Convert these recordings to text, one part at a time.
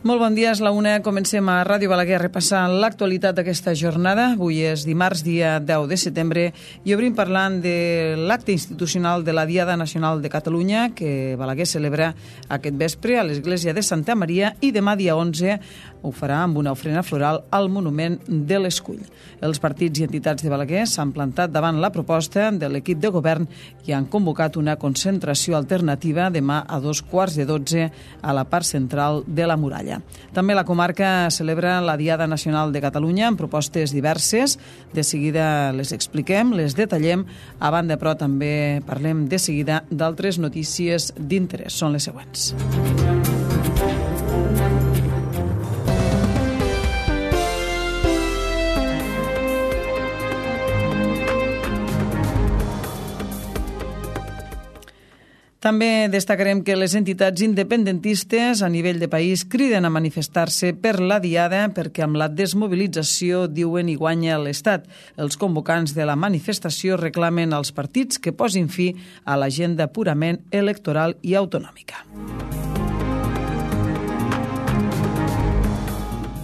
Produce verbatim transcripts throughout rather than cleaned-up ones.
Molt bon dia, és la una. Comencem a Ràdio Balaguer repassant l'actualitat d'aquesta jornada. Avui és dimarts, dia deu de setembre, i obrim parlant de l'acte institucional de la Diada Nacional de Catalunya, que Balaguer celebra aquest vespre a l'Església de Santa Maria, i demà, dia onze, ho farà amb una ofrena floral al Monument de l'Escull. Els partits i entitats de Balaguer s'han plantat davant la proposta de l'equip de govern i han convocat una concentració alternativa demà a dos quarts de dotze a la part central de la muralla. També la comarca celebra la Diada Nacional de Catalunya amb propostes diverses. De seguida les expliquem, les detallem. A banda, però, també parlem de seguida d'altres notícies d'interès. Són les següents. També destacarem que les entitats independentistes a nivell de país criden a manifestar-se per la Diada perquè amb la desmobilització, diuen, hi guanya l'Estat. Els convocants de la manifestació reclamen als partits que posin fi a l'agenda purament electoral i autonòmica.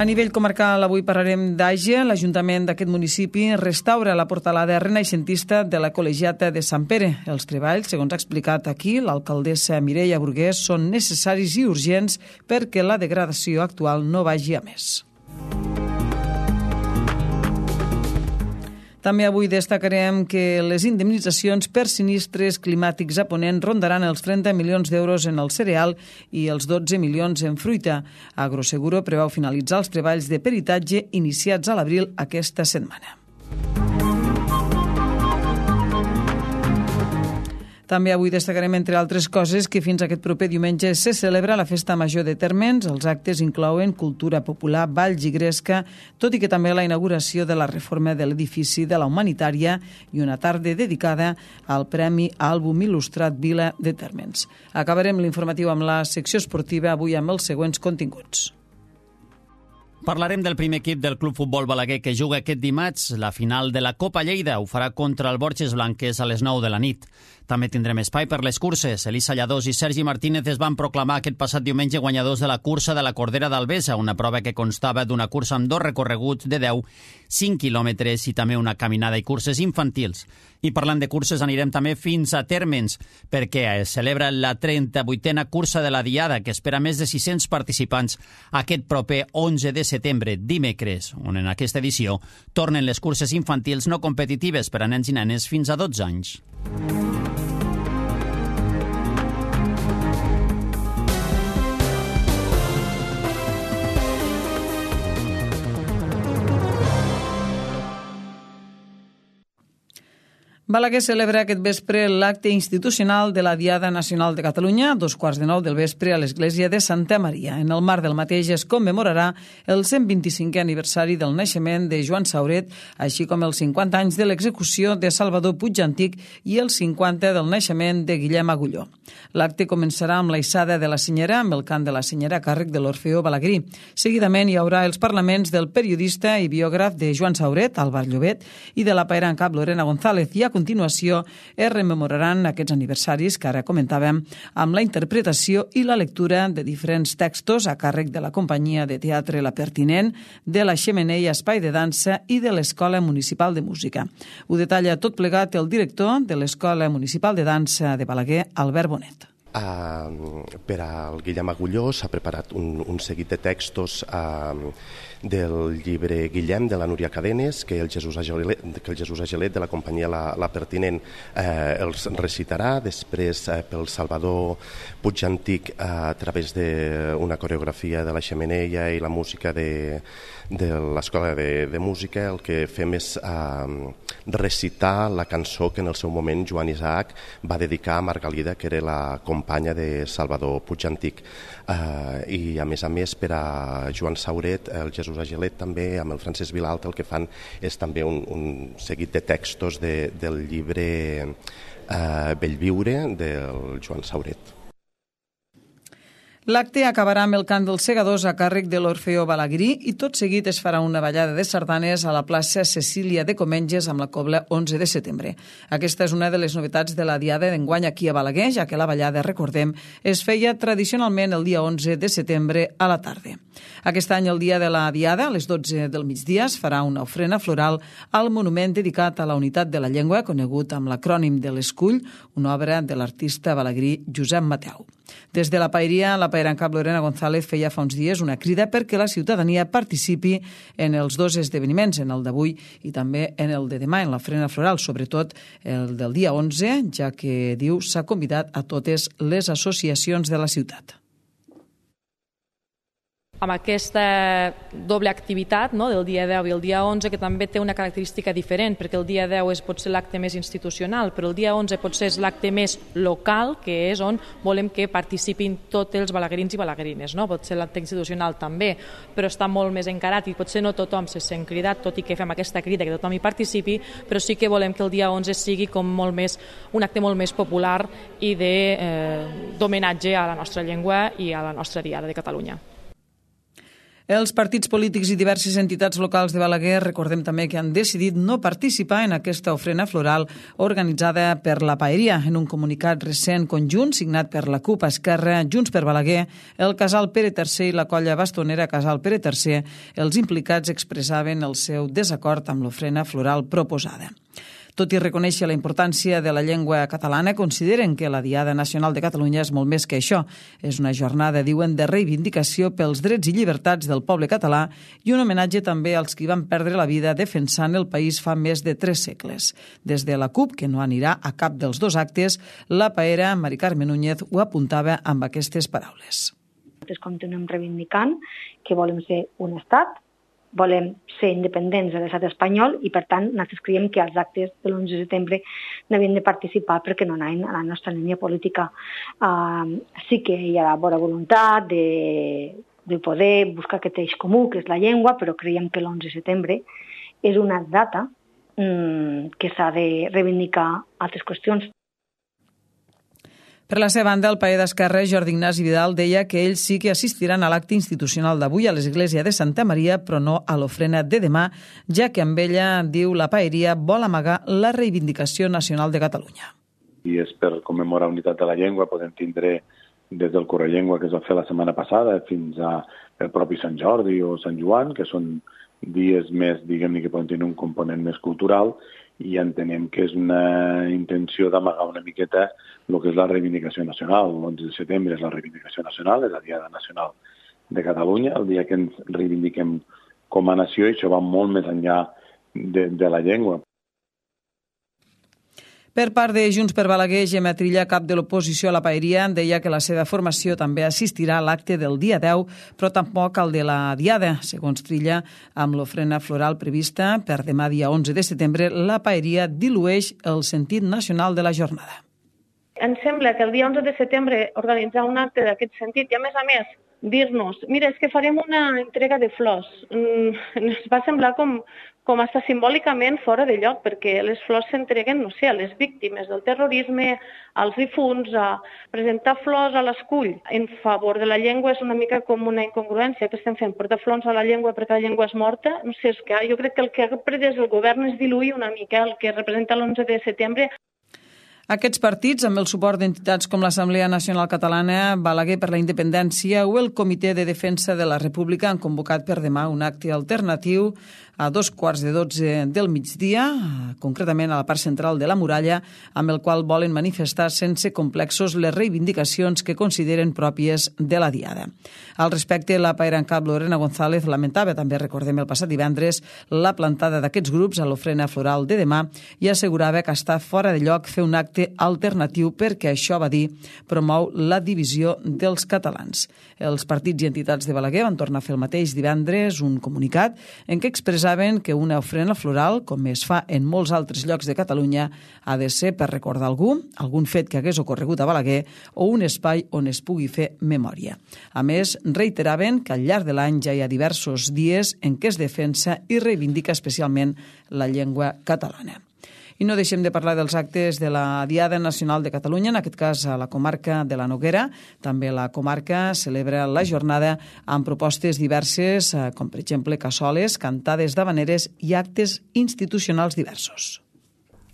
A nivell comarcal, avui parlarem d'Àger. L'Ajuntament d'aquest municipi restaura la portalada renaixentista de la Col·legiata de Sant Pere. Els treballs, segons ha explicat aquí l'alcaldessa Mireia Burgués, són necessaris i urgents perquè la degradació actual no vagi a més. També avui destacarem que les indemnitzacions per sinistres climàtics a Ponent rondaran els trenta milions d'euros en el cereal i els dotze milions en fruita. Agroseguro preveu finalitzar els treballs de peritatge iniciats a l'abril aquesta setmana. També avui destacarem, entre altres coses, que fins aquest proper diumenge se celebra la Festa Major de Térmens. Els actes inclouen cultura popular, balls i gresca, tot i que també la inauguració de la reforma de l'edifici de la Humanitària i una tarda dedicada al Premi Àlbum Il·lustrat Vila de Térmens. Acabarem l'informatiu amb la secció esportiva, avui amb els següents continguts. Parlarem del primer equip del Club Futbol Balaguer que juga aquest dimarts la final de la Copa Lleida. Ho farà contra el Borges Blanques a les nou de la nit. També tindrem espai per les curses. Elisa Lladós i Sergi Martínez es van proclamar aquest passat diumenge guanyadors de la cursa de la Cordera d'Albesa, una prova que constava d'una cursa amb dos recorreguts de deu, cinc quilòmetres i també una caminada i curses infantils. I parlant de curses, anirem també fins a Térmens, perquè es celebra la trenta-vuitena cursa de la Diada, que espera més de sis-cents participants aquest proper onze de setembre, dimecres, on en aquesta edició tornen les curses infantils no competitives per a nens i nenes fins a dotze anys. Balaguer celebra aquest vespre l'acte institucional de la Diada Nacional de Catalunya, a dos quarts de nou del vespre a l'Església de Santa Maria. En el marc del mateix es commemorarà el cent vint-i-cinquè aniversari del naixement de Joan Sauret, així com els cinquanta anys de l'execució de Salvador Puig Antic i els cinquanta del naixement de Guillem Agulló. L'acte començarà amb la hissada de la senyera, amb el cant de la senyera a càrrec de l'Orfeó Balaguerí. Seguidament hi haurà els parlaments del periodista i biògraf de Joan Sauret, Álvar Llobet, i de la paera en cap Lorena González, i a continuació es rememoraran aquests aniversaris que ara comentàvem amb la interpretació i la lectura de diferents textos a càrrec de la companyia de teatre La Pertinent, de la Xemeneia Espai de Dansa i de l'Escola Municipal de Música. Ho detalla tot plegat el director de l'Escola Municipal de Dansa de Balaguer, Albert Bonet. Uh, per al Guillem Agulló s'ha preparat un, un seguit de textos uh, del llibre Guillem de la Núria Cadenes, que el Jesús Agelet, que el Jesús Agelet de la companyia La, la Pertinent eh, els recitarà. Després eh, pel Salvador Puig Antic eh, a través d'una coreografia de la Xemeneia i la música de, de l'Escola de, de Música, el que fem és eh, recitar la cançó que en el seu moment Joan Isaac va dedicar a Margalida, que era la companya de Salvador Puig Antic. Eh, I a més a més per a Joan Sauret, el Jesús Agelet també, amb el Francesc Vilalta, el que fan és també un, un seguit de textos de, del llibre eh, Bellviure del Joan Sauret. L'acte acabarà amb el cant dels segadors a càrrec de l'Orfeó Balaguerí i tot seguit es farà una ballada de sardanes a la plaça Cecília de Comenges amb la cobla onze de setembre. Aquesta és una de les novetats de la diada d'enguany aquí a Balaguer, ja que la ballada, recordem, es feia tradicionalment el dia onze de setembre a la tarda. Aquest any, el dia de la diada, a les dotze del migdia, es farà una ofrena floral al monument dedicat a la unitat de la llengua, conegut amb l'acrònim de l'Escull, una obra de l'artista balaguerí Josep Mateu. Des de la Paeria, la paera en cap Lorena González feia fa uns dies una crida perquè la ciutadania participi en els dos esdeveniments, en el d'avui i també en el de demà, en l'ofrena floral, sobretot el del dia onze, ja que, diu, s'ha convidat a totes les associacions de la ciutat. Amb aquesta doble activitat, no, del dia deu i el dia onze, que també té una característica diferent, perquè el dia deu és potser l'acte més institucional, però el dia onze potser és l'acte més local, que és on volem que participin tots els balaguerins i balaguerines. No? Potser l'acte institucional també, però està molt més encarat i potser no tothom se sent cridat, tot i que fem aquesta crida que tothom hi participi, però sí que volem que el dia onze sigui com molt més, un acte molt més popular i d'homenatge a la nostra llengua i a la nostra diada de Catalunya. Els partits polítics i diverses entitats locals de Balaguer recordem també que han decidit no participar en aquesta ofrena floral organitzada per la Paeria. En un comunicat recent conjunt signat per la CUP, Esquerra, Junts per Balaguer, el Casal Pere tercer i la colla bastonera Casal Pere tercer, els implicats expressaven el seu desacord amb l'ofrena floral proposada. Tot i reconèixer la importància de la llengua catalana, consideren que la Diada Nacional de Catalunya és molt més que això. És una jornada, diuen, de reivindicació pels drets i llibertats del poble català i un homenatge també als qui van perdre la vida defensant el país fa més de tres segles. Des de la CUP, que no anirà a cap dels dos actes, la paera Mari Carme Núñez ho apuntava amb aquestes paraules. Nosaltres continuem reivindicant que volem ser un estat, volem ser independents de l'estat espanyol i, per tant, nosaltres creiem que els actes de l'onze de setembre n'havien de participar perquè no anaven a la nostra línia política. Uh, sí que hi ha la bona voluntat de, de poder buscar aquest eix comú, que és la llengua, però creiem que l'onze de setembre és una data um, que s'ha de reivindicar altres qüestions. Per la seva banda, el paer d'Esquerra, Jordi Ignasi Vidal, deia que ells sí que assistiran a l'acte institucional d'avui a l'església de Santa Maria, però no a l'ofrena de demà, ja que amb ella, diu la paeria, vol amagar la reivindicació nacional de Catalunya. I és per commemorar la unitat de la llengua, podem tindre des del Correllengua que es va fer la setmana passada fins al propi Sant Jordi o Sant Joan, que són dies més, diguem-ne, que poden tenir un component més cultural, i entenem que és una intenció d'amagar una miqueta el que és la reivindicació nacional. L'onze de setembre és la reivindicació nacional, és la Diada Nacional de Catalunya, el dia que ens reivindiquem com a nació, i això va molt més enllà de, de la llengua. Per part de Junts per Balaguer, Gemma Trilla, cap de l'oposició a la paeria, deia que la seva formació també assistirà a l'acte del dia deu, però tampoc al de la Diada. Segons Trilla, amb l'ofrena floral prevista per demà dia onze de setembre, la paeria dilueix el sentit nacional de la jornada. Ens sembla que el dia onze de setembre organitzar un acte d'aquest sentit i, a més a més, dir-nos, mira, és que farem una entrega de flors. Mm, ens va semblar com, com està simbòlicament fora de lloc, perquè les flors s'entreguen, no sé, a les víctimes del terrorisme, als difunts, a presentar flors a l'escull en favor de la llengua és una mica com una incongruència que estem fent, portar flors a la llengua perquè la llengua és morta. No sé, és que jo crec que el que ha pretès el govern és diluir una mica el que representa l'onze de setembre. Aquests partits, amb el suport d'entitats com l'Assemblea Nacional Catalana, Balaguer per la Independència o el Comitè de Defensa de la República, han convocat per demà un acte alternatiu a dos quarts de dotze del migdia, concretament a la part central de la muralla, amb el qual volen manifestar sense complexos les reivindicacions que consideren pròpies de la Diada. Al respecte, la paera en cap Lorena González lamentava, també recordem el passat divendres, la plantada d'aquests grups a l'ofrena floral de demà i assegurava que està fora de lloc fer un acte alternatiu perquè això, va dir, promou la divisió dels catalans. Els partits i entitats de Balaguer van tornar a fer el mateix divendres, un comunicat en què expressaven que una ofrena floral, com es fa en molts altres llocs de Catalunya, ha de ser per recordar algú, algun fet que hagués ocorregut a Balaguer o un espai on es pugui fer memòria. A més, reiteraven que al llarg de l'any ja hi ha diversos dies en què es defensa i reivindica especialment la llengua catalana. I no deixem de parlar dels actes de la Diada Nacional de Catalunya, en aquest cas a la comarca de la Noguera. També la comarca celebra la jornada amb propostes diverses, com per exemple cassoles, cantades d'havaneres i actes institucionals diversos.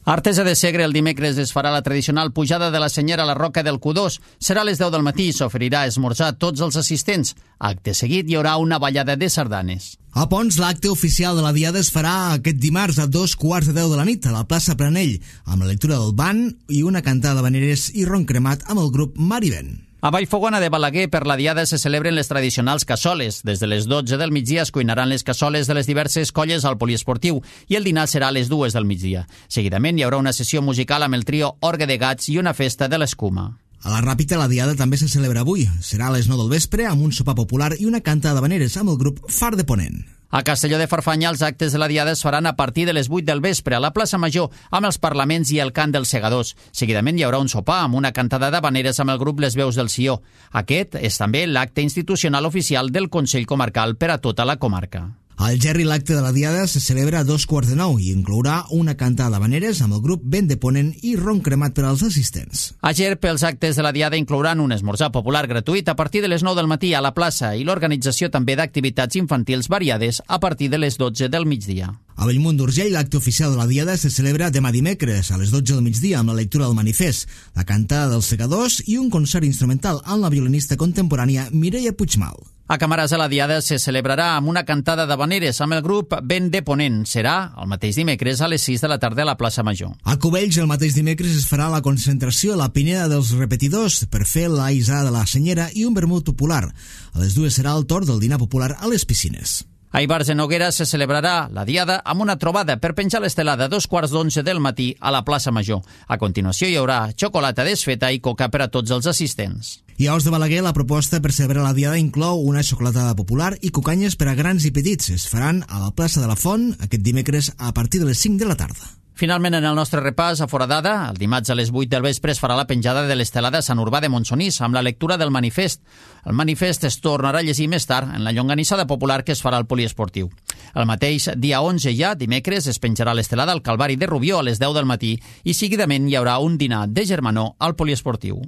A Artesa de Segre el dimecres es farà la tradicional pujada de la senyera a la Roca del Cudós. Serà a les deu del matí i s'oferirà esmorzar a tots els assistents. Acte seguit hi haurà una ballada de sardanes. A Pons, l'acte oficial de la Diada es farà aquest dimarts a dos quarts de deu de la nit a la plaça Planell, amb la lectura del ban i una cantada d'havaneres i ron cremat amb el grup Marivent. A Vallfogona de Balaguer, per la Diada, se celebren les tradicionals cassoles. Des de les dotze del migdia es cuinaran les cassoles de les diverses colles al poliesportiu i el dinar serà a les dues del migdia. Seguidament hi haurà una sessió musical amb el trio Orgue de Gats i una festa de l'escuma. A la Ràpita la Diada també se celebra avui. Serà a les nou del vespre amb un sopar popular i una canta d'havaneres amb el grup Far de Ponent. A Castelló de Farfanya els actes de la Diada es faran a partir de les vuit del vespre a la plaça Major amb els parlaments i el cant dels segadors. Seguidament hi haurà un sopar amb una cantada d'havaneres amb el grup Les Veus del Sió. Aquest és també l'acte institucional oficial del Consell Comarcal per a tota la comarca. Al Gerri l'acte de la Diada se celebra a dos quarts de nou i inclourà una cantada d'havaneres amb el grup Vent de Ponent i ron cremat per als assistents. A Gerp, els actes de la Diada inclouran un esmorzar popular gratuït a partir de les nou del matí a la plaça i l'organització també d'activitats infantils variades a partir de les dotze del migdia. A Bellmunt d'Urgell, l'acte oficial de la Diada se celebra demà dimecres a les dotze del migdia amb la lectura del manifest, la cantada dels segadors i un concert instrumental amb la violinista contemporània Mireia Puigmal. A Camarasa la Diada se celebrarà amb una cantada d'havaneres amb el grup Vent de Ponent. Serà el mateix dimecres a les sis de la tarda a la plaça Major. A Cubells el mateix dimecres es farà la concentració a la Pineda dels Repetidors per fer la isada de la Senyera i un vermut popular. A les dues serà el torn del dinar popular a les piscines. A Ivars de Noguera se celebrarà la Diada amb una trobada per penjar l'estelada a dos quarts d'onze del matí a la plaça Major. A continuació hi haurà xocolata desfeta i coca per a tots els assistents. I a Os de Balaguer la proposta per celebrar la Diada inclou una xocolatada popular i cocanyes per a grans i petits. Es faran a la plaça de la Font aquest dimecres a partir de les cinc de la tarda. Finalment, en el nostre repàs a Foradada, el dimarts a les vuit del vespre es farà la penjada de l'estelada a Sant Urbà de Montsonís amb la lectura del manifest. El manifest es tornarà a llegir més tard en la llonganissada popular que es farà al poliesportiu. El mateix dia onze ja, dimecres, es penjarà l'estelada al Calvari de Rubió a les deu del matí i seguidament hi haurà un dinar de germanor al poliesportiu.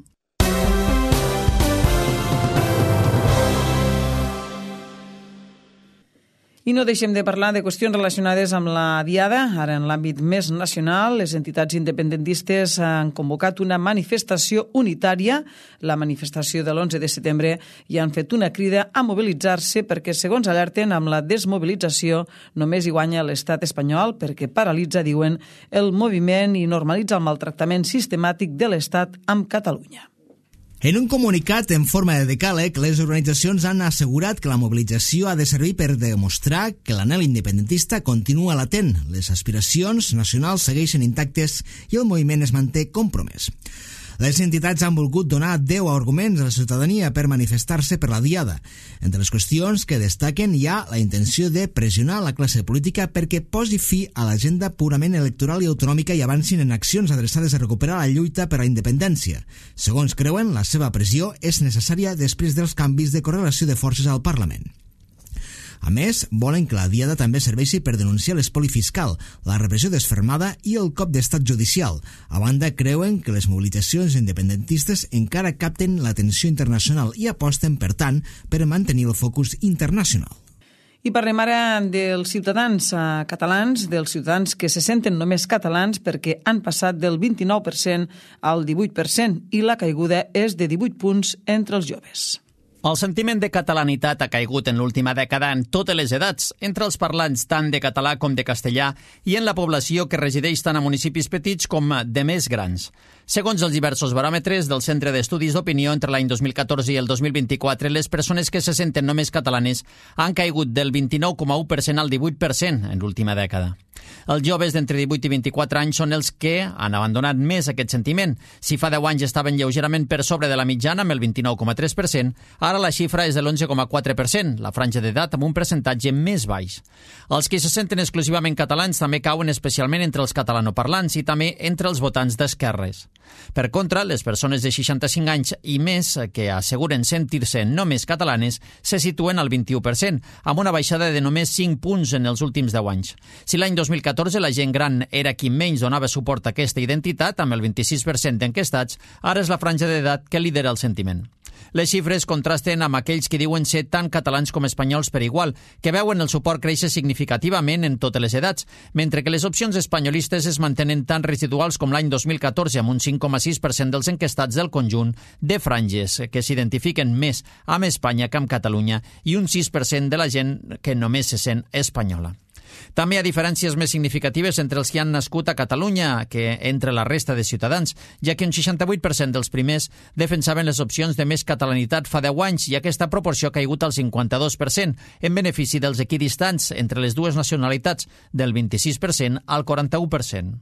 I no deixem de parlar de qüestions relacionades amb la Diada. Ara, en l'àmbit més nacional, les entitats independentistes han convocat una manifestació unitària, la manifestació de l'onze de setembre, i han fet una crida a mobilitzar-se perquè, segons alerten, amb la desmobilització només hi guanya l'estat espanyol perquè paralitza, diuen, el moviment i normalitza el maltractament sistemàtic de l'estat amb Catalunya. En un comunicat en forma de decàleg, les organitzacions han assegurat que la mobilització ha de servir per demostrar que l'anhel independentista continua latent, les aspiracions nacionals segueixen intactes i el moviment es manté compromès. Les entitats han volgut donar deu arguments a la ciutadania per manifestar-se per la Diada. Entre les qüestions que destaquen hi ha la intenció de pressionar la classe política perquè posi fi a l'agenda purament electoral i autonòmica i avancin en accions adreçades a recuperar la lluita per a la independència. Segons creuen, la seva pressió és necessària després dels canvis de correlació de forces al Parlament. A més, volen que la Diada també serveixi per denunciar l'espoli fiscal, la repressió desfermada i el cop d'estat judicial. A banda, creuen que les mobilitzacions independentistes encara capten l'atenció internacional i aposten, per tant, per mantenir el focus internacional. I parlem ara dels ciutadans catalans, dels ciutadans que se senten només catalans perquè han passat del vint-i-nou per cent al divuit per cent i la caiguda és de divuit punts entre els joves. El sentiment de catalanitat ha caigut en l'última dècada en totes les edats, entre els parlants tant de català com de castellà i en la població que resideix tant a municipis petits com de més grans. Segons els diversos baròmetres del Centre d'Estudis d'Opinió, entre l'any dos mil catorze i el dos mil vint-i-quatre, les persones que se senten només catalanes han caigut del vint-i-nou coma u per cent al divuit per cent en l'última dècada. Els joves d'entre divuit i vint-i-quatre anys són els que han abandonat més aquest sentiment. Si fa deu anys estaven lleugerament per sobre de la mitjana, amb el vint-i-nou coma tres per cent, ara la xifra és de l'onze coma quatre per cent, la franja d'edat amb un percentatge més baix. Els que se senten exclusivament catalans també cauen especialment entre els catalanoparlants i també entre els votants d'esquerres. Per contra, les persones de seixanta-cinc anys i més que asseguren sentir-se només catalanes se situen al vint-i-u per cent, amb una baixada de només cinc punts en els últims deu anys. Si l'any dos mil catorze la gent gran era qui menys donava suport a aquesta identitat, amb el vint-i-sis per cent d'enquestats, ara és la franja d'edat que lidera el sentiment. Les xifres contrasten amb aquells que diuen ser tant catalans com espanyols per igual, que veuen el suport créixer significativament en totes les edats, mentre que les opcions espanyolistes es mantenen tan residuals com l'any dos mil catorze, amb un cinc coma sis per cent dels enquestats del conjunt de franges que s'identifiquen més amb Espanya que amb Catalunya i un sis per cent de la gent que només se sent espanyola. També hi ha diferències més significatives entre els que han nascut a Catalunya que entre la resta de ciutadans, ja que un seixanta-vuit per cent dels primers defensaven les opcions de més catalanitat fa deu anys i aquesta proporció ha caigut al cinquanta-dos per cent, en benefici dels equidistants entre les dues nacionalitats, del vint-i-sis per cent al quaranta-u per cent.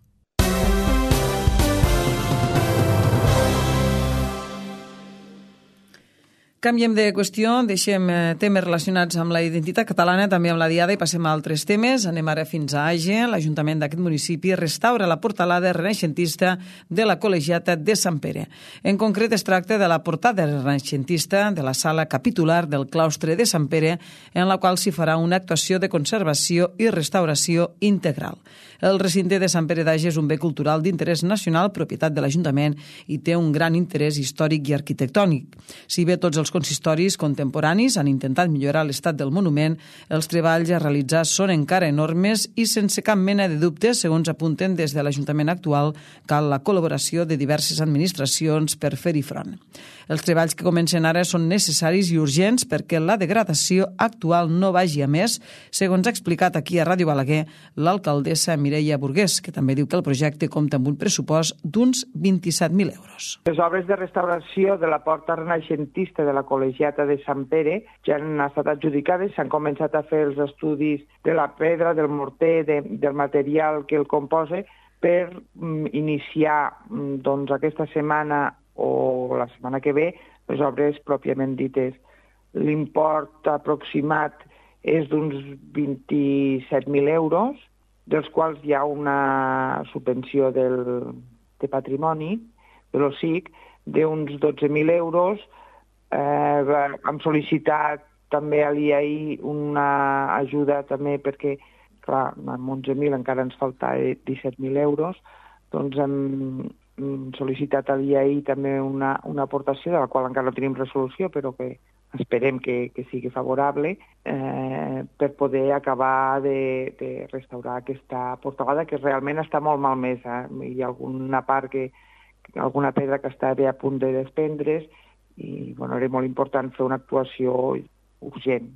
Canviem de qüestió, deixem temes relacionats amb la identitat catalana, també amb la diada, i passem a altres temes. Anem ara fins a Age. L'Ajuntament d'aquest municipi restaura la portalada renaixentista de la Col·legiata de Sant Pere. En concret, es tracta de la portada renaixentista de la sala capitular del claustre de Sant Pere, en la qual s'hi farà una actuació de conservació i restauració integral. El recinte de Sant Pere d'Age és un bé cultural d'interès nacional, propietat de l'Ajuntament, i té un gran interès històric i arquitectònic. Si bé tots els Els consistoris contemporanis han intentat millorar l'estat del monument, els treballs a realitzar són encara enormes i sense cap mena de dubte, segons apunten des de l'Ajuntament actual, cal la col·laboració de diverses administracions per fer-hi front. Els treballs que comencen ara són necessaris i urgents perquè la degradació actual no vagi a més, segons ha explicat aquí a Ràdio Balaguer l'alcaldessa Mireia Burgués, que també diu que el projecte compta amb un pressupost d'uns vint-i-set mil euros. Les obres de restauració de la porta renaixentista de la Col·legiata de Sant Pere ja han estat adjudicades, s'han començat a fer els estudis de la pedra, del morter, de, del material que el composa, per mm, iniciar mm, doncs, aquesta setmana o la setmana que ve les obres pròpiament dites. L'import aproximat és d'uns vint-i-set mil euros, dels quals hi ha una subvenció del, de patrimoni, de l'O S I C, d'uns dotze mil euros. Eh, hem sol·licitat també a l'I A I una ajuda també perquè, clar, amb onze mil encara ens falta disset mil euros, doncs hem sol·licitat a l'I A I també una, una aportació de la qual encara no tenim resolució, però que esperem que, que sigui favorable, eh, per poder acabar de, de restaurar aquesta portalada, que realment està molt malmesa. Hi ha alguna part que, alguna pedra que està bé a punt de desprendre's, i bueno, era molt important fer una actuació urgent.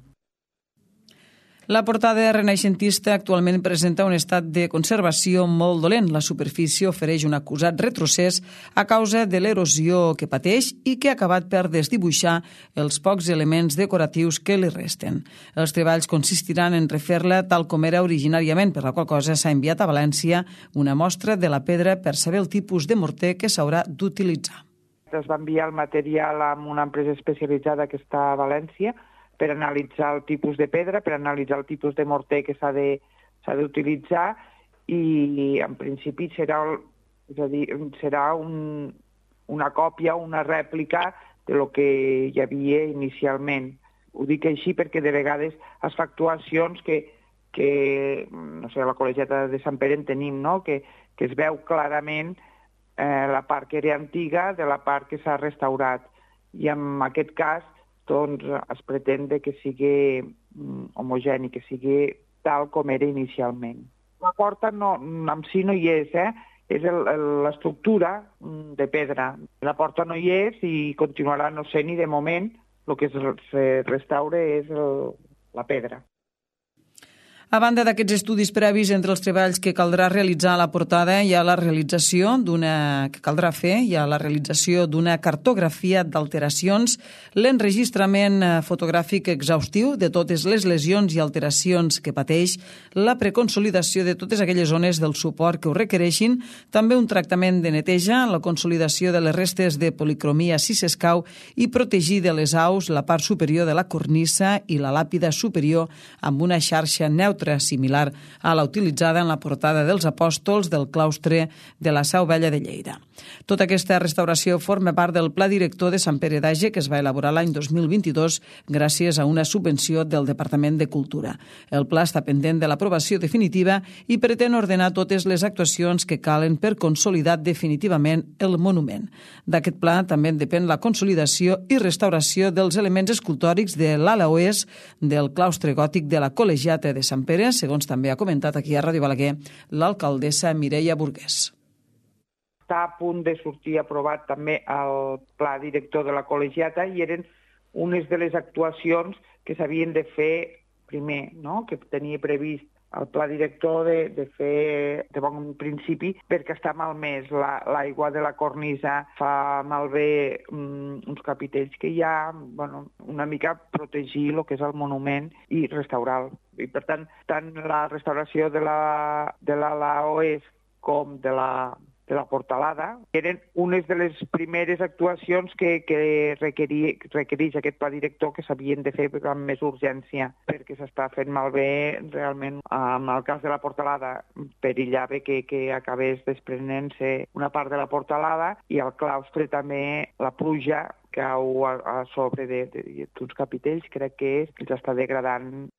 La portada renaixentista actualment presenta un estat de conservació molt dolent. La superfície ofereix un acusat retrocés a causa de l'erosió que pateix i que ha acabat per desdibuixar els pocs elements decoratius que li resten. Els treballs consistiran en refer-la tal com era originàriament, per la qual cosa s'ha enviat a València una mostra de la pedra per saber el tipus de morter que s'haurà d'utilitzar. Es va enviar el material a una empresa especialitzada que està a València per analitzar el tipus de pedra, per analitzar el tipus de morter que s'ha de, s'ha d'utilitzar, i en principi serà, és a dir, serà un, una còpia, una rèplica de lo que hi havia inicialment. Ho dic així perquè de vegades es fa actuacions que, que no sé, a la Col·legiata de Sant Pere en tenim, no? que, que es veu clarament Eh, la part que era antiga de la part que s'ha restaurat. I en aquest cas doncs, es pretén que sigui mm, homogeni, que sigui tal com era inicialment. La porta no, en si no hi és, eh? És l'estructura de pedra. La porta no hi és i continuarà no sent, i de moment el que es restaura és el, la pedra. A banda d'aquests estudis previs entre els treballs que caldrà realitzar a la portada, hi ha la realització d'una que caldrà fer, hi ha la realització d'una cartografia d'alteracions, l'enregistrament fotogràfic exhaustiu de totes les lesions i alteracions que pateix, la preconsolidació de totes aquelles zones del suport que ho requereixin, també un tractament de neteja, la consolidació de les restes de policromia si s'escau i protegir de les aus la part superior de la cornisa i la làpida superior amb una xarxa neutra neutra, similar a la utilitzada en la portada dels apòstols del claustre de la Seu Vella de Lleida. Tota aquesta restauració forma part del Pla Director de Sant Pere d'Age que es va elaborar l'any dos mil vint-i-dos gràcies a una subvenció del Departament de Cultura. El pla està pendent de l'aprovació definitiva i pretén ordenar totes les actuacions que calen per consolidar definitivament el monument. D'aquest pla també en depèn la consolidació i restauració dels elements escultòrics de l'ala oest del claustre gòtic de la Col·legiata de Sant Pere, segons també ha comentat aquí a Ràdio Balaguer l'alcaldessa Mireia Burgués. Està a punt de sortir aprovat també el pla director de la Col·legiata i eren unes de les actuacions que s'havien de fer primer, no? Que tenia previst el pla director de, de fer de bon principi perquè està malmès. L'aigua la, de la cornisa fa malbé um, uns capitells que hi ha, bueno, una mica protegir el que és el monument i restaurar-lo. I per tant, tant la restauració de la, de l'ala oest com de la de la portalada, eren unes de les primeres actuacions que, que requerí, requereix aquest pla director que s'havien de fer amb més urgència, perquè s'està fent malbé realment. En el cas de la portalada, perillava que, que acabés desprenent-se una part de la portalada i al claustre també la pluja cau a, a sobre d'uns capitells, crec que és, que s'està degradant.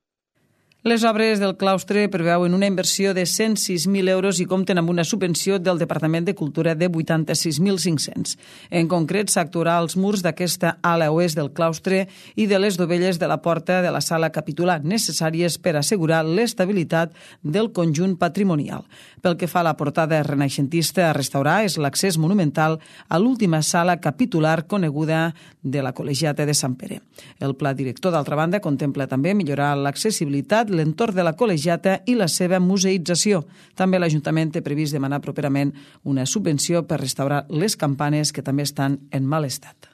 Les obres del claustre preveuen una inversió de cent sis mil euros i compten amb una subvenció del Departament de Cultura de vuitanta-sis mil cinc-cents. En concret, s'actuarà als murs d'aquesta ala oest del claustre i de les dovelles de la porta de la sala capitular, necessàries per assegurar l'estabilitat del conjunt patrimonial. Pel que fa a la portada renaixentista a restaurar, és l'accés monumental a l'última sala capitular coneguda de la Col·legiata de Sant Pere. El pla director, d'altra banda, contempla també millorar l'accessibilitat, l'entorn de la col·legiata i la seva museïtzació. També l'Ajuntament té previst demanar properament una subvenció per restaurar les campanes que també estan en mal estat.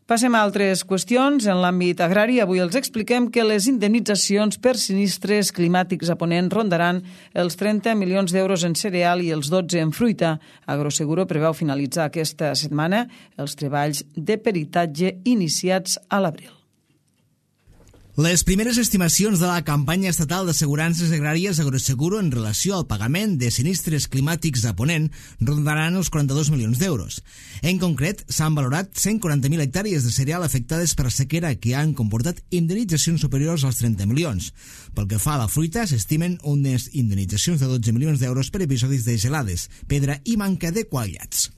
Passem a altres qüestions. En l'àmbit agrari, avui els expliquem que les indemnitzacions per sinistres climàtics a Ponent rondaran els trenta milions d'euros en cereal i els dotze en fruita. Agroseguro preveu finalitzar aquesta setmana els treballs de peritatge iniciats a l'abril. Les primeres estimacions de la campanya estatal d'assegurances agràries Agroseguro en relació al pagament de sinistres climàtics a Ponent rondaran els quaranta-dos milions d'euros. En concret, s'han valorat cent quaranta mil hectàrees de cereal afectades per sequera que han comportat indemnitzacions superiors als trenta milions. Pel que fa a la fruita, s'estimen unes indemnitzacions de dotze milions d'euros per episodis de gelades, pedra i manca de qualitats.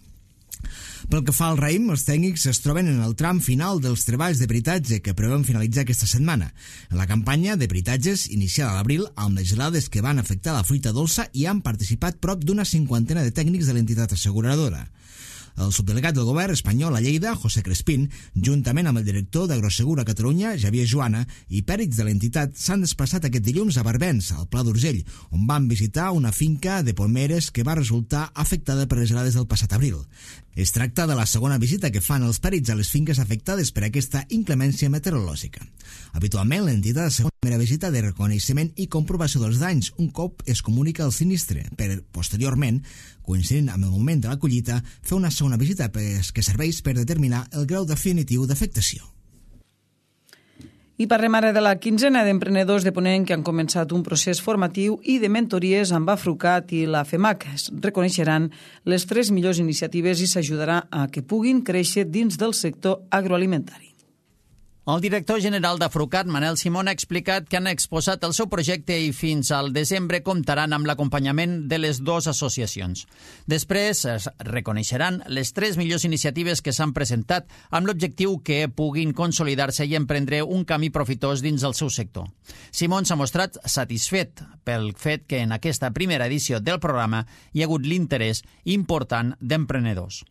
Pel que fa al raïm, els tècnics es troben en el tram final dels treballs de peritatge que preveuen finalitzar aquesta setmana. En la campanya de peritatges, iniciada a l'abril, amb les gelades que van afectar la fruita dolça, hi han participat prop d'una cinquantena de tècnics de l'entitat asseguradora. El subdelegat del govern espanyol a Lleida, José Crespín, juntament amb el director d'Agroseguro a Catalunya, Javier Joana, i pèrits de l'entitat s'han desplaçat aquest dilluns a Barbens, al Pla d'Urgell, on van visitar una finca de pomeres que va resultar afectada per les gelades del passat abril. Es tracta de la segona visita que fan els pèrits a les finques afectades per aquesta inclemència meteorològica. Habitualment, l'entitat ha una primera visita de reconeixement i comprovació dels danys un cop es comunica el sinistre, per, posteriorment, coincidint amb el moment de la collita, fer una segona visita que serveix per determinar el grau definitiu d'afectació. I parlem ara de la quinzena d'emprenedors de Ponent que han començat un procés formatiu i de mentories amb Afrucat i la FEMAC. Es reconeixeran les tres millors iniciatives i s'ajudarà a que puguin créixer dins del sector agroalimentari. El director general d'Afrucat, Manel Simón, ha explicat que han exposat el seu projecte i fins al desembre comptaran amb l'acompanyament de les dues associacions. Després es reconeixeran les tres millors iniciatives que s'han presentat amb l'objectiu que puguin consolidar-se i emprendre un camí profitós dins el seu sector. Simón s'ha mostrat satisfet pel fet que en aquesta primera edició del programa hi ha hagut l'interès important d'emprenedors.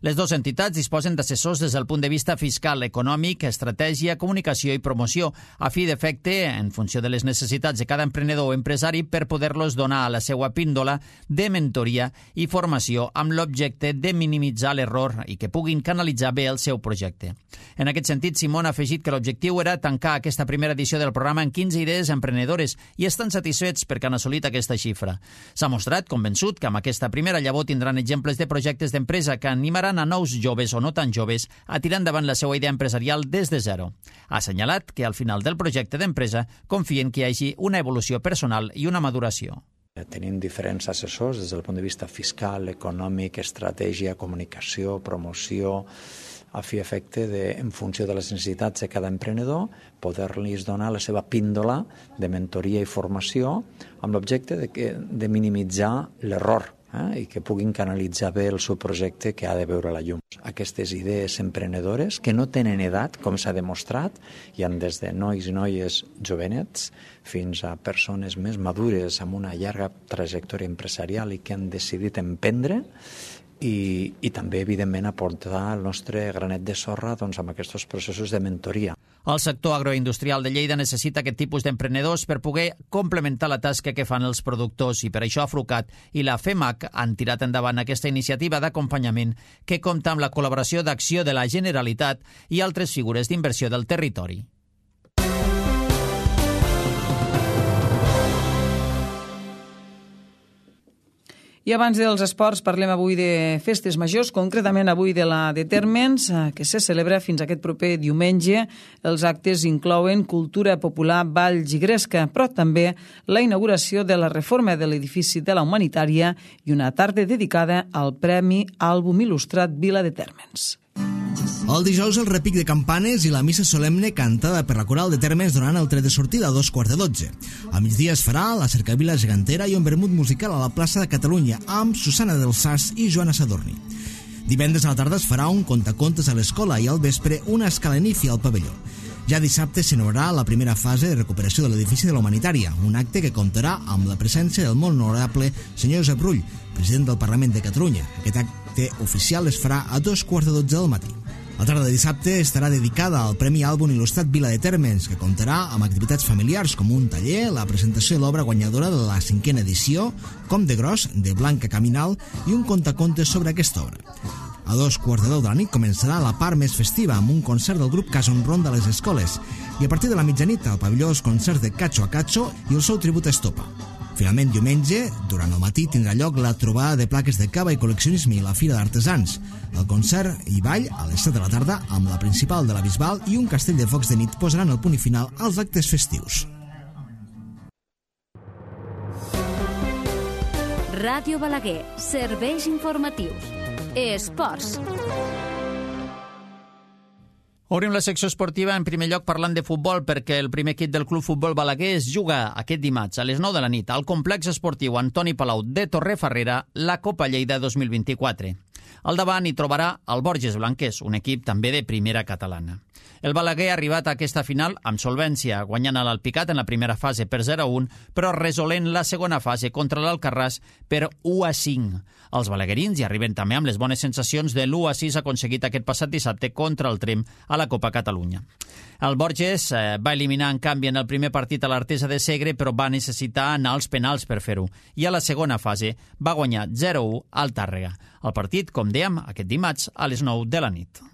Les dues entitats disposen d'assessors des del punt de vista fiscal, econòmic, estratègic estratègia, comunicació i promoció, a fi d'efecte, en funció de les necessitats de cada emprenedor o empresari, per poder-los donar a la seva píndola de mentoria i formació amb l'objecte de minimitzar l'error i que puguin canalitzar bé el seu projecte. En aquest sentit, Simón ha afegit que l'objectiu era tancar aquesta primera edició del programa en quinze idees emprenedores i estan satisfets perquè han assolit aquesta xifra. S'ha mostrat convençut que amb aquesta primera llavor tindran exemples de projectes d'empresa que animaran a nous joves o no tan joves a tirar endavant la seva idea empresarial des de zero. Ha assenyalat que al final del projecte d'empresa confien que hi hagi una evolució personal i una maduració. Tenim diferents assessors des del punt de vista fiscal, econòmic, estratègia, comunicació, promoció, a fi efecte de, en funció de les necessitats de cada emprenedor, poder-los donar la seva píndola de mentoria i formació amb l'objecte de, que, de minimitzar l'error eh, i que puguin canalitzar bé el seu projecte que ha de veure la llum. Aquestes idees emprenedores que no tenen edat, com s'ha demostrat, hi ha des de nois i noies jovenets fins a persones més madures amb una llarga trajectòria empresarial i que han decidit emprendre, I, i també, evidentment, aportar el nostre granet de sorra doncs, amb aquests processos de mentoria. El sector agroindustrial de Lleida necessita aquest tipus d'emprenedors per poder complementar la tasca que fan els productors i per això Afrucat i la FEMAC han tirat endavant aquesta iniciativa d'acompanyament que compta amb la col·laboració d'Acció de la Generalitat i altres figures d'inversió del territori. I abans dels esports parlem avui de festes majors, concretament avui de la de Térmens, que se celebra fins aquest proper diumenge. Els actes inclouen cultura popular, balls i gresca, però també la inauguració de la reforma de l'edifici de la Humanitària i una tarda dedicada al Premi Àlbum Il·lustrat Vila de Térmens. El dijous el repic de campanes i la missa solemne cantada per la coral de Térmens donant el tret de sortida a dos quarts de dotze. A migdia es farà la cercavila gegantera i un vermut musical a la plaça de Catalunya amb Susana del Sas i Joana Sadorni. Divendres a la tarda es farà un contacontes a l'escola i al vespre una escalanífia al pavelló. Ja dissabte s'inaugurarà la primera fase de recuperació de l'edifici de la Humanitària, un acte que comptarà amb la presència del molt honorable senyor Josep Rull, president del Parlament de Catalunya. Aquest acte oficial es farà a dos quarts de dotze del matí. La tarda de dissabte estarà dedicada al Premi Àlbum Il·lustrat Vila de Térmens, que comptarà amb activitats familiars com un taller, la presentació de l'obra guanyadora de la cinquena edició, Com de gros, de Blanca Caminal, i un contacontes sobre aquesta obra. A dos quarts de deu de la nit començarà la part més festiva amb un concert del grup Casa Honron de les escoles i a partir de la mitjanit al pavelló els concerts de Cacho a Cacho i el seu tribut a Estopa. Finalment, diumenge, durant el matí, tindrà lloc la trobada de plaques de cava i col·leccionisme i la Fira d'Artesans. El concert i ball a les set de la tarda amb la principal de la Bisbal i un castell de focs de nit posaran el punt i final als actes festius. Ràdio Balaguer, serveis informatius. Esports. Obrim la secció esportiva en primer lloc parlant de futbol perquè el primer equip del Club Futbol Balaguer es juga aquest dimarts a les nou de la nit al complex esportiu Antoni Palau de Torrefarrera la Copa Lleida dos mil vint-i-quatre. Al davant hi trobarà el Borges Blanquers, un equip també de primera catalana. El Balaguer ha arribat a aquesta final amb solvència, guanyant a l'Alpicat en la primera fase per zero a un, però resolent la segona fase contra l'Alcarràs per u a cinc. Els balaguerins hi arriben també amb les bones sensacions de l'u a sis aconseguit aquest passat dissabte contra el Trem a la Copa Catalunya. El Borges eh, va eliminar en canvi en el primer partit a l'Artesa de Segre, però va necessitar anar als penals per fer-ho. I a la segona fase va guanyar zero a u al Tàrrega. El partit, com dèiem, aquest dimarts a les nou de la nit.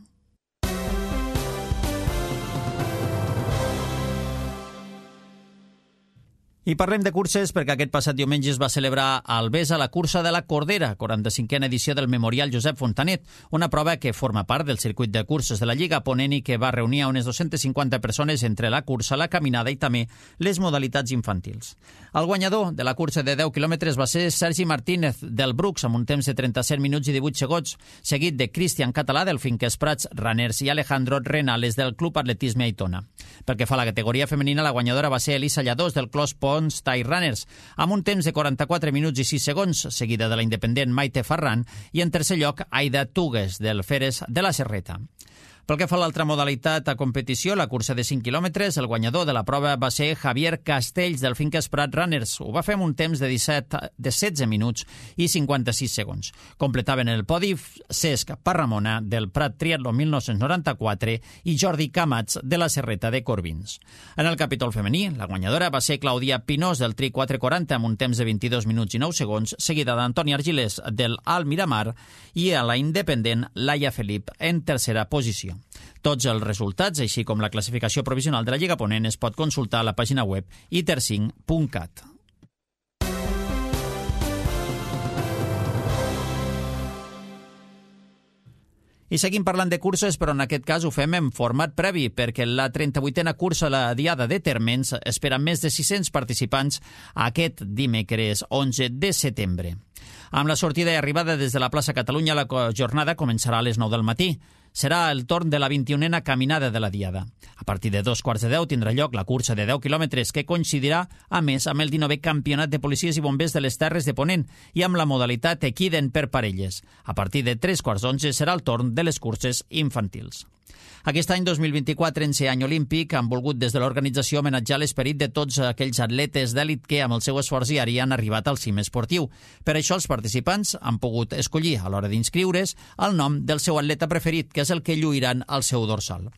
I parlem de curses perquè aquest passat diumenge es va celebrar a Albesa la cursa de la Cordera, quaranta-cinquena edició del Memorial Josep Fontanet, una prova que forma part del circuit de curses de la Lliga Ponent i que va reunir a unes dues-centes cinquanta persones entre la cursa, la caminada i també les modalitats infantils. El guanyador de la cursa de deu quilòmetres va ser Sergi Martínez del Brucs amb un temps de trenta-set minuts i divuit segons, seguit de Cristian Català del Finques Prats Runners i Alejandro Renales del Club Atletisme Aitona. Pel que fa a la categoria femenina, la guanyadora va ser Elisa Lladós del Clos Pons Thai Runners, amb un temps de quaranta-quatre minuts i sis segons, seguida de la independent Maite Ferran, i en tercer lloc Aida Tugues del Feres de la Serreta. Pel que fa a l'altra modalitat a competició, la cursa de cinc quilòmetres, el guanyador de la prova va ser Javier Castells del Finques Prat Runners. Ho va fer amb un temps de, disset, de setze minuts i cinquanta-sis segons. Completaven el podi Cesc Parramona del Prat Triatló mil nou-cents noranta-quatre i Jordi Camats de la Serreta de Corbins. En el capítol femení, la guanyadora va ser Clàudia Pinós del Tri quatre quaranta amb un temps de vint-i-dos minuts i nou segons, seguida d'Antònia Argilés del Alt Miramar i a la independent Laia Felip en tercera posició. Tots els resultats, així com la classificació provisional de la Lliga Ponent, es pot consultar a la pàgina web i ter cinc punt cat. I seguim parlant de curses, però en aquest cas ho fem en format previ, perquè la trenta-vuitena cursa a la Diada de Térmens espera més de sis-cents participants aquest dimecres onze de setembre. Amb la sortida i arribada des de la plaça Catalunya, la jornada començarà a les nou del matí. Serà el torn de la vint-i-unena caminada de la Diada. A partir de dos quarts de deu tindrà lloc la cursa de deu quilòmetres, que coincidirà, a més, amb el dinovè Campionat de Policies i Bombers de les Terres de Ponent i amb la modalitat equiden per parelles. A partir de tres quarts d'onze serà el torn de les curses infantils. Aquest any dos mil vint-i-quatre, en ser any olímpic, han volgut des de l'organització homenatjar l'esperit de tots aquells atletes d'èlit que, amb el seu esforç diari, han arribat al cim esportiu. Per això, els participants han pogut escollir, a l'hora d'inscriure's, el nom del seu atleta preferit, que és el que lluiran al seu dorsal.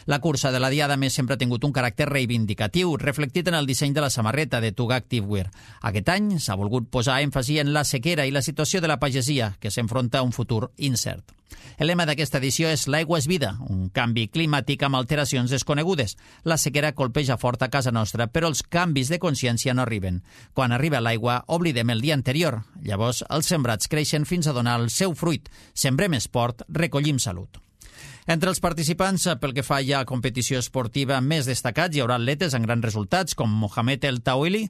La cursa de la Diada, més, sempre ha tingut un caràcter reivindicatiu, reflectit en el disseny de la samarreta de Tuga Activewear. Aquest any s'ha volgut posar èmfasi en la sequera i la situació de la pagesia, que s'enfronta a un futur incert. El lema d'aquesta edició és «L'aigua és vida», un canvi climàtic amb alteracions desconegudes. La sequera colpeja fort a casa nostra, però els canvis de consciència no arriben. Quan arriba l'aigua, oblidem el dia anterior. Llavors, els sembrats creixen fins a donar el seu fruit. Sembrem esport, recollim salut. Entre els participants, pel que fa ja a competició esportiva més destacats, hi haurà atletes amb grans resultats, com Mohamed El Tawili,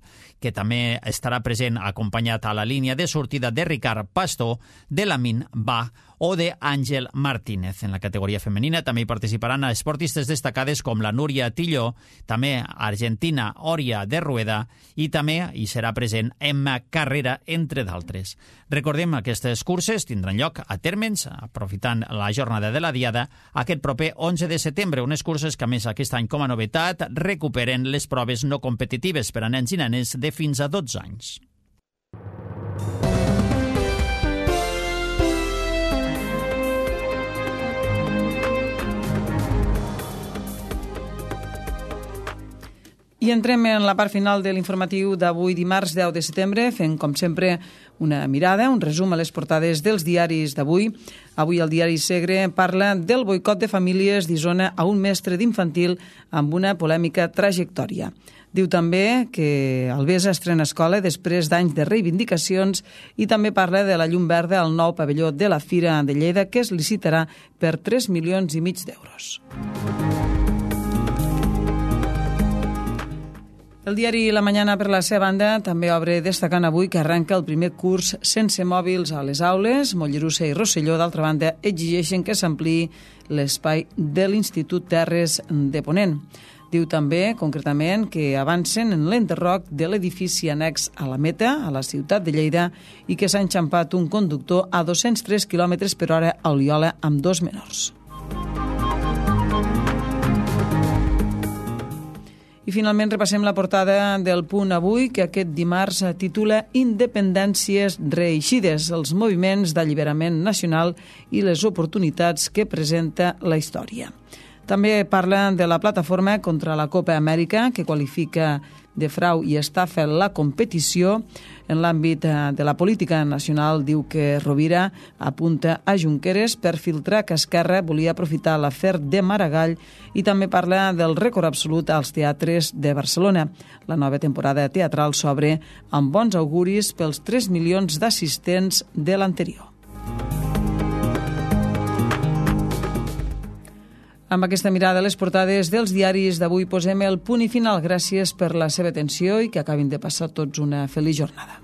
que també estarà present acompanyat a la línia de sortida de Ricard Pastor, de Lamin Ba o de Àngel Martínez. En la categoria femenina també hi participaran esportistes destacades com la Núria Tilló, també argentina Oria de Rueda i també hi serà present Emma Carrera, entre d'altres. Recordem, aquestes curses tindran lloc a Térmens, aprofitant la jornada de la Diada, aquest proper onze de setembre, unes curses que, a més, aquest any com a novetat, recuperen les proves no competitives per a nens i nenes de fins a dotze anys. I entrem en la part final de l'informatiu d'avui dimarts deu de setembre, fent, com sempre, una mirada, un resum a les portades dels diaris d'avui. Avui el diari Segre parla del boicot de famílies d'Isona a un mestre d'infantil amb una polèmica trajectòria. Diu també que Albesa estrena escola després d'anys de reivindicacions i també parla de la llum verda al nou pavelló de la Fira de Lleida, que es licitarà per tres milions i mig d'euros. El diari La Mañana, per la seva banda, també obre destacant avui que arrenca el primer curs sense mòbils a les aules. Mollerussa i Rosselló, d'altra banda, exigeixen que s'ampliï l'espai de l'Institut Terres de Ponent. Diu també, concretament, que avancen en l'enderroc de l'edifici annex a la Meta, a la ciutat de Lleida, i que s'ha enxampat un conductor a dos-cents tres quilòmetres per hora a Oliola amb dos menors. I finalment repassem la portada del Punt Avui, que aquest dimarts titula Independències reeixides, els moviments d'alliberament nacional i les oportunitats que presenta la història. També parla de la plataforma contra la Copa Amèrica, que qualifica de frau i estafa la competició. En l'àmbit de la política nacional, diu que Rovira apunta a Junqueras per filtrar que Esquerra volia aprofitar l'afer de Maragall, i també parla del rècord absolut als teatres de Barcelona. La nova temporada teatral s'obre amb bons auguris pels tres milions d'assistents de l'anterior. Amb aquesta mirada a les portades dels diaris d'avui posem el punt i final. Gràcies per la seva atenció i que acabin de passar tots una feliç jornada.